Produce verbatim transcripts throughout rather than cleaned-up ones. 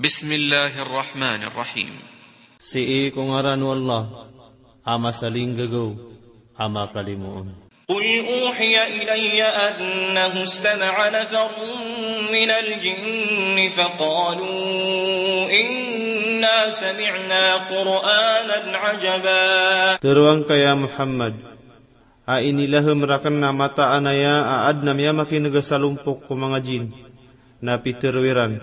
Bismillahir Rahmanir Rahim. Sii ko ngaran o Allah, a masalinggagaw, a makalimoon. قل أوحي إلي أنه استمع نفر من الجن فقالوا إنا سمعنا قرآنا عجبا. Tharoang ka ya Muhammad, a inilaham raken a mataan aya a adn a miyamakineg a salompok ko manga jin, na pitharo iran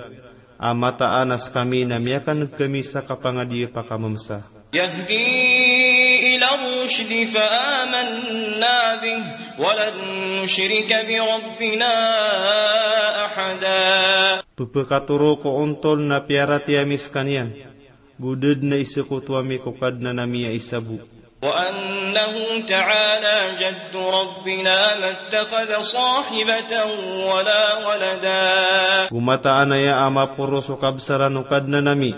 a mataan a skami na miyakaneg kami sa kapangadi a pakamemsa. يهدي إلى الرشد فآمنا به ولن نشرك بربنا أحدا. Pphakatoro ko ontol na piyaratiyaya mi skaniyan, go da dn a isakoto ami ko Kadnan ami a isa bo. وأنه تعالى جد ربنا ما اتخذ صاحبة ولا ولدا. Go mataan aya a maporo so kabsaran o Kadnan ami,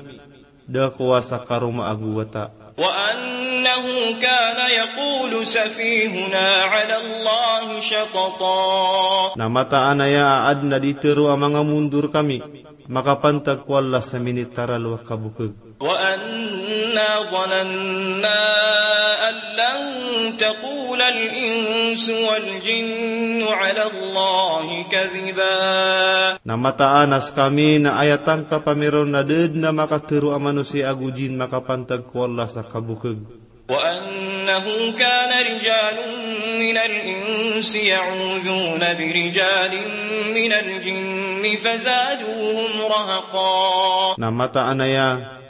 da kowa sa karoma ago wata. وأنه كان يقول سفيهنا على الله شططا. Na mataan aya a adn a di tharo a manga mondor kami, makapantag ko Allah sa minitaralo a kabokeg. وأنا ظننا أن لن تقول الإنس والجن على الله كذبا. Na mataan a skami na aya tangkap ami ron na da dn a makatharo a manosiya ago jin makapantag ko Allah sa kabokeg. وأنه كان رجال من الإنس يعوذون برجال من الجن فزادوهم رهقا. Na mataan aya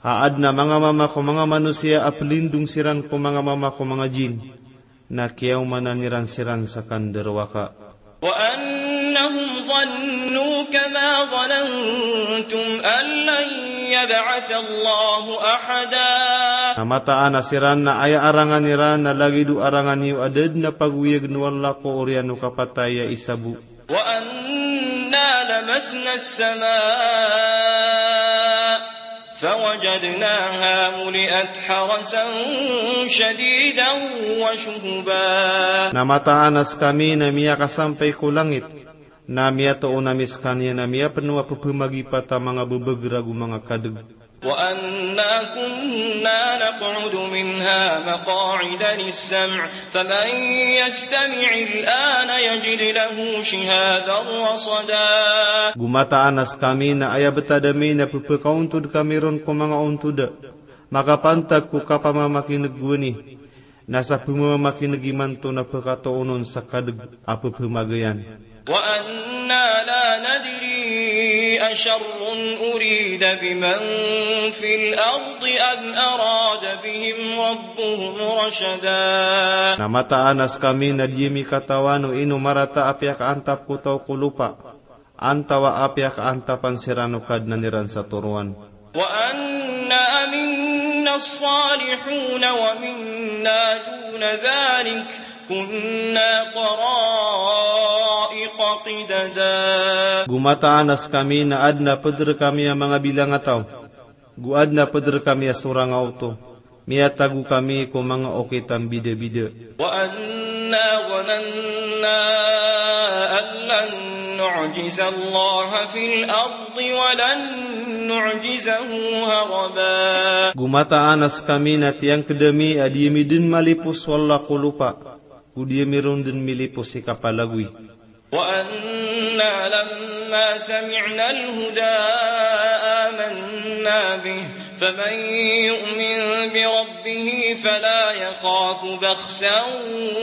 a adn a manga mama ko manga manosiya a plindong siran ko manga mama ko manga jin, na kiyaomanan iran siran sa kandarowaka. وأنهم ظنوا كما ظننتم أن لن يبعث الله أحدا. Na mataan a siran na aya arangan iran na lagid o arangan iyo a da dn a pagoyagn o Allah ko oriyan o kapatay a isa bo. وأنا لمسنا السماء فوجدناها ملئت حرسا شديدا وشهبا. Na mataan a skami na miyakasampay ko langit, na miyatoon ami skaniyan a miyapeno a pphamagipata manga bbagr ago manga kadeg. وأنا كنا نقعد منها مقاعد للسمع فمن يستمع الآن يجد له شهابا رصدا. Go mataan a skami na aya btad ami na pphakaontod kami ron ko manga ontod a makapantag ko kapamamakineg gowani, na sa pmamakineg imanto na pkatoonon sa kadeg a pphamageyan. وأنا لا ندري أشر أريد بمن في الأرض أم أراد بهم ربهم رشدا. Na mataan a skami na di ami katawan o ino marata a piyakaantap ko taw ko lopa, antawa a piyakaantapan siran o Kadnan iran sa toroan. وأنا منا الصالحون ومنا دون ذلك كنا طرائق قددا. Go mataan a skami na adn a pd rkami a manga bilangataw, go adn a pd rkami a sorang a oto, miyatago kami ko manga okit a mbidabida. وأنا ظننا أن لن نعجز الله في الأرض ولن نعجزه هربا. Go mataan a skami na tiyangkd ami a di ami dn malipos o Allah ko lopa, go di ami ron dn milipos i kapalagoy. وأنا لما سمعنا الهدى آمنا به فمن يؤمن بربه فلا يخاف بخسا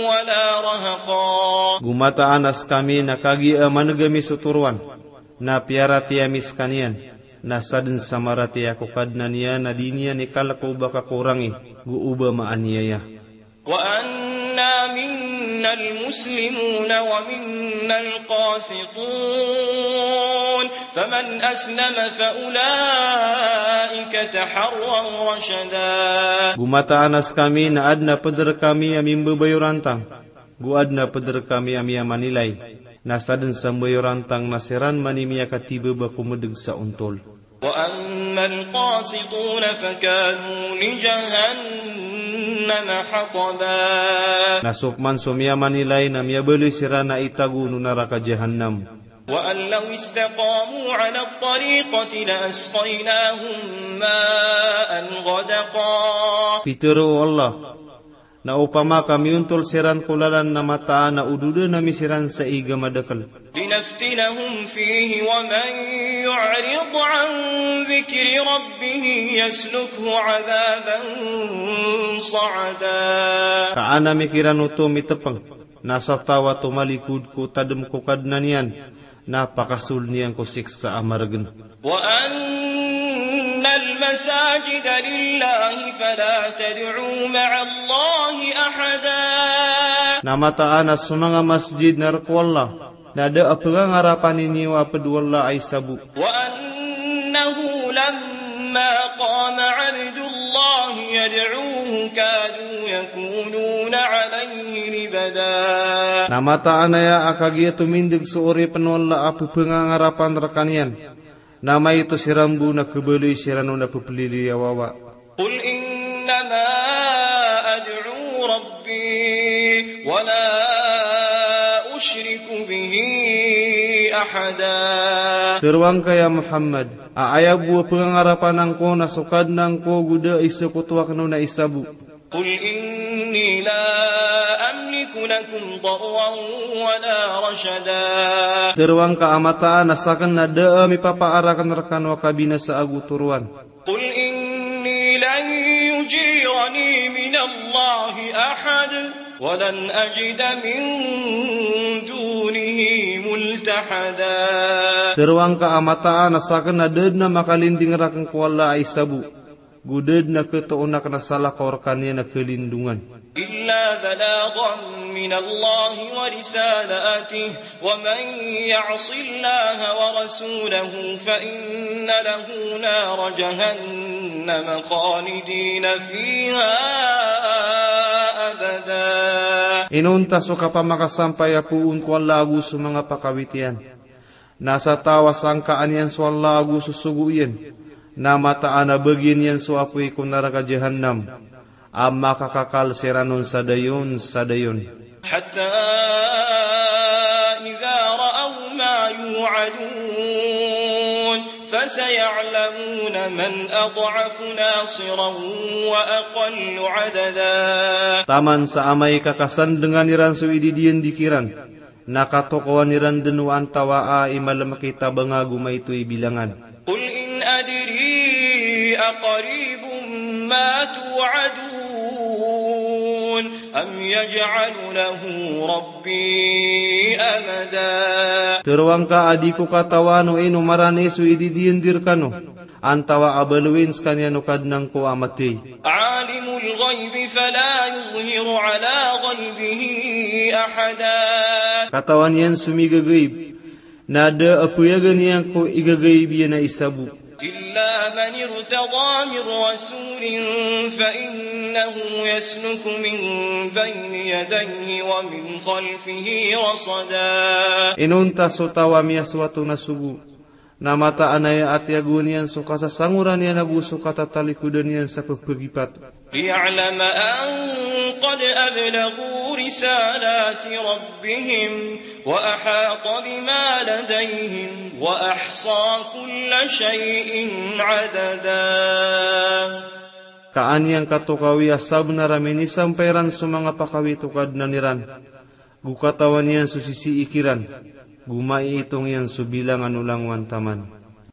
ولا رهقا. Go mataan a skami na kagiya a maneg ami so toroan, na piyaratiyaya mi skaniyan, na sadn sa maratiyaya ko Kadnan iyan a di niyan ikalk o ba kakorangi, go o ba maaniyaya. وأنا منا المسلمون ومنا القاسطون فمن أسلم فأولئك تحروا رشدا. Go mataan a skami na adn a pd rkami a mimbabayorantang, go adn a pd rkami a miyamanilay, na sadn sa mbayorantang na siran man i miyakatibaba ko medeg sa ontol. وأما القاسطون فكانوا لجهنم حطبا. Na so pman so miyamanilay na miyabaloy siran a itago o naraka Jahannam. وأن لو استقاموا على الطريقة لأسقيناهم ماء غدقا. Pitharo o Allah, na opama ka miyontol siran ko lalan na mataan a ododan ami siran sa ig a madakel. لنفتنهم فيه ومن يعرض عن ذكر ربه يسلكه عذابا صعدا. Ka an ami kiran oto mitepeng, na sa taw a tomalikod ko tadem ko Kadnan iyan, na pakasold iyan ko siksa a maregen. وأن المساجد لله فلا تدعوا مع الله أحدا. Na mataan a so manga masjid na rk o Allah, na da a pengangarapan iyo a ped o Allah a isa bo. وأنه لما قام عبد الله يدعوه كادوا يكونون عليه لبدا. Na mataan aya a kagiya tomindeg so oripen o Allah a pepengangarapan rekaniyan, na maito siran bo na kebaloy siran on a pepliliyo a wawa. قل إنما أدعو ربي ولا أشرك به أحدا. Teroang ka ya Muhammad, a aya bo a pengangarapan angko na so Kadnan ko go da a isekoto aken on a isa bo. قل إني لا أملك لكم ضرا ولا رشدا. Teroang ka a mataan a saken na da a mipapaaraken rekano a kabinasa ago toroan. قل إني لن يجيرني من الله أحد ولن أجد من دونه ملتحدا. Teroang ka a mataan a saken na da den a makalinding raken ko Allah a isa bo, go da den a ketoon aken a salakaw rekaniyan a kalindongan. إلا بلاغا من الله ورسالاته ومن يعص الله ورسوله فإن له نار جهنم خالدين فيها أبدا. Inonta so kapamakasampay a poon ko Allah ago so manga pakawit iyan. Na sa taw a sangkaan iyan so Allah ago so sogo iyan, na mataan a bagian iyan so apoy ko naraka Jahannam, a makakakal siran on sa dayon sa dayon. حتى إذا رأوا ما يوعدون فسيعلمون من أضعف ناصرا وأقل عددا. Taman sa amay ka kasandengan iran so ididiyendik iran, na katokawan iran den o antawaa i malemek i tabanga ago maito i bilangan. قل إن أدري أقريب ما توعدون أم يجعل له ربي أمدا. Teroang ka a di ko katawan o ino marani so ididiyendik rekano, antawaa a baloyin sekaniyan o Kadnan ko a matey. عالم الغيب فلا يظهر على غيبه أحدا. Katawan iyan so migagaib, na da a peyagan iyan ko igagaib iyan a isa bo. إلا من ارتضى من رسول فإنه يسلك من بين يديه ومن خلفه رصدا. Inonta so taw a miyasoat on a sogo, na mataan aya a tiyagoan iyan so kasasangoran iyan ago so katatalikodan iyan sa pepegipat. ليعلم أن قد أبلغوا رسالات ربهم وأحاط بما لديهم وأحصى كل شيء عددا. Ka an iyan katokawi a sabenar a minisampay ran so manga pakawit o Kadnan iran, go katawan iyan so sisii kiran, go maiitong iyan so bilangan o langowan taman.